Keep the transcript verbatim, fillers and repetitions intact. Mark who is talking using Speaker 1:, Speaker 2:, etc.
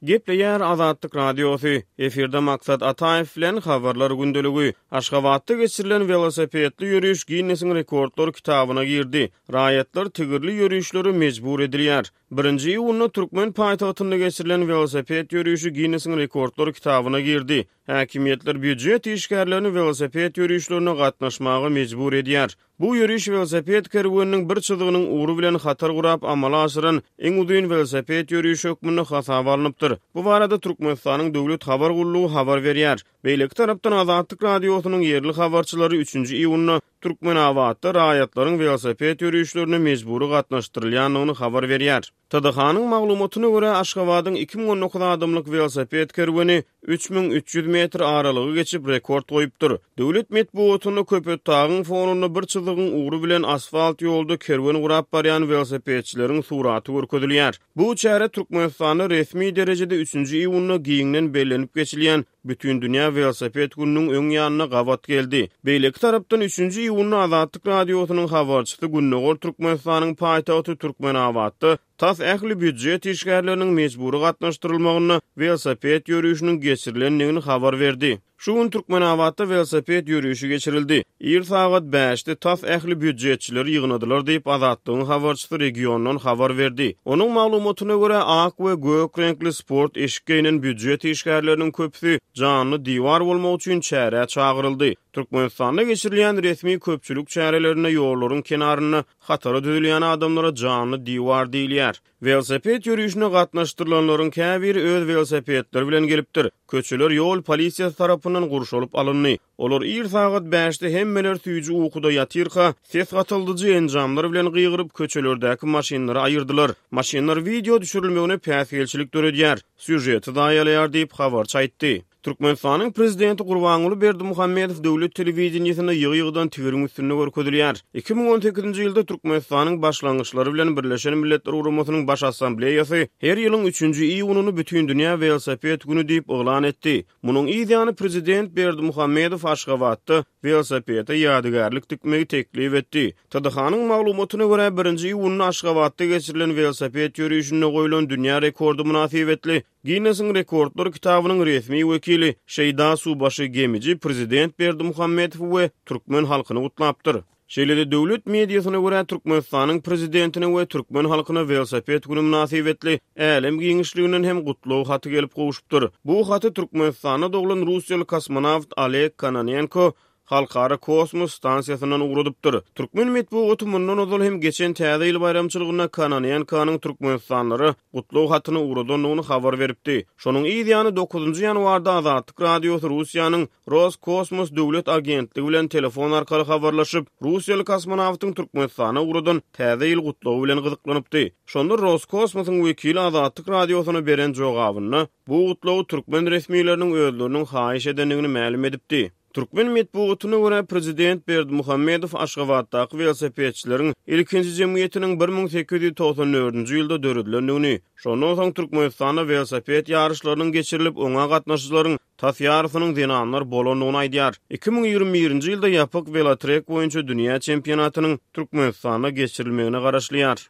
Speaker 1: Gepleýär Azatlyk Radiosy, efirde Maksat Ataýew bilen Habarlar gündeligi. Aşgabatda geçirilen welosipedli ýöriş Ginnesiň rekordlar kitabyna girdi. Raýatlar tigirli ýörişlere mejbur edilýär. Birinji iýunda türkmen paýtagtynda geçirilen welosiped ýörişi Ginnesiň rekordlar kitabyna girdi. Häkimiýetler býujet işgärlerini welosiped ýörişlerine gatnaşmaga mejbur edýär. Bu ýöriş welosiped kerweniniň bir çyzygynyň ugry bilen hatar gurap amala aşyran iň uzyn welosiped ýörişi hökmünde hasaba alnypdyr. Bu barada Türkmenistanyň Döwlet habar gullugy habar berýär. Beýleki tarapdan Azatlyk Radiosynyň ýerli habarçylary üçünji iýunda Türkmenabatda raýatlaryň welosiped ýörişlerine mejbury gatnaşdyrylýandygyny habar berýär. T D H-nyň maglumatyna görä, Aşgabadyň iki müň on dokuz adamlyk welosiped kerweni üç müň üç ýüz metr aralygy geçip rekord goýupdyr. Döwlet metbugatynda Köpetdagyň fonunda bir çyzygyň ugry bilen asfalt ýolda kerwen gurap barýan welosipedçileriň suraty görkezilýär. Bu çäre Türkmenistanda resmi derejede üçünji iýunda giňden bellenip geçilýän Bütindünýä welosiped gününiň öň ýanyna gabat geldi. Beýleki tarapdan üçünji iýunda Azatlyk Radiosynyň habarçysy Gündogar Türkmenistanyň paýtagty Türkmenabatda tas ähli býujet işgärleriniň mejbury gatnaşdyrylmagynda welosiped ýörişiniň geçirilendigini habar berdi. Şu gün Türkmenabatda welosiped ýörişi geçirildi. Ir sagat bäşde tas ähli býujetçileri ýygnadylar diýip Azatlygyň habarçysy regiondan habar berdi. Onuň maglumatyna görä, ak we gök reňkli sport eşik geýnen býujet işgärleriniň köpüsi janly diwar bolmak üçin çärä çagyryldy. Türkmenistanda geçirilýän resmi köpçülik çärelerinde ýollaryň kenarynda hatara düzülýän adamlara janly diwar diýilýär. Welosiped ýörişine gatnaşdyrylanlaryň käbiri öz welosipedleri bilen gelipdir. Köçeler ýol polisiýasy tarapyndan gurşalyp alyndy. Olar ir sagat bäşde hemmeler süýji ukuda ýatyrka, ses gatyldyjy enjamlar bilen gygyryp köçelerdäki maşynlary aýyrdylar. Maşynlar wideo düşürilmegine päsgelçilik döredýär, sýujeti zaýalaýar diýip habarçy aýtdy. Türkmenistanyň prezidenti Gurbanguly Berdimuhamedow döwlet telewideniýesinde ýygy-ýygydan tigiriň üstünde görkezilýär. Iki müň on sekizinji ýylda Türkmenistanyň başlangyçlary bilen Birleşen Milletler Guramasynyň Baş Assambleýasy her ýylyň üçünji iýunyny Bütindünýä welosiped güni diýip yglan etdi. Munuň yz ýany prezident Berdimuhamedow Aşgabatda welosipede ýadygärlik dikmegi teklip etdi. T D H-nyň maglumatyna görä, birinji iýunda Aşgabatda geçirilen welosiped ýörişinde goýlan dünýä rekordy mynasybetli Ginnesiň rekordlar kitabynyň resmi wekili Şeýda Subaşy Gemiji prezident Berdimuhamedow we türkmen halkyny gutlapdyr. Şeýle-de döwlet mediasyna görä, Türkmenistanyň prezidentine we türkmen halkyna welosiped günü mynasybetli älem giňişliginden hem gutlag haty gelip gowşupdyr. Bu haty Türkmenistanda doglan Russiýaly kosmonawt Oleg Kononenko Halkara kosmos stansiýasyndan ugradypdyr. Türkmen metbugaty mundan ozal hem geçen Täze ýyl baýramçylygynda Kononenkonyň Türkmenistanlara gutlag hatyny ugradandygyny habar beripdi. Şonuň yz ýany dokuzynjy ýanwarda Azatlyk Radiosy Russiýanyň Roskosmos döwlet agentligi bilen telefon arkaly habarlaşyp, Russiýaly kosmonawtyň Türkmenistana ugradan Täze ýyl gutlagy bilen gyzyklanypdy. Şonda Roskosmosyň wekili Azatlyk Radiosyna beren jogabynda bu gutlagy türkmen resmileriniň özleriniň haýyş edendigini mälim edipdi. Türkmen metbugatyna görä, prezident Berdimuhamedow Aşgabatdaky welosipedçileriň ilkinji jemgyýetiniň bir müň sekiz ýüz togsan dördünji ýylda döredilendigini, şondan soň Türkmenistanda welosiped ýaryşlarynyň geçirilip, oňa gatnaşyjylaryň tas ýarysynyň zenanlar bolandygyny aýdýar. Iki müň ýigrimi birinji ýylda ýapyk welotrek boýunça dünýä çempionatynyň Türkmenistanda geçirilmegine garaşylýar.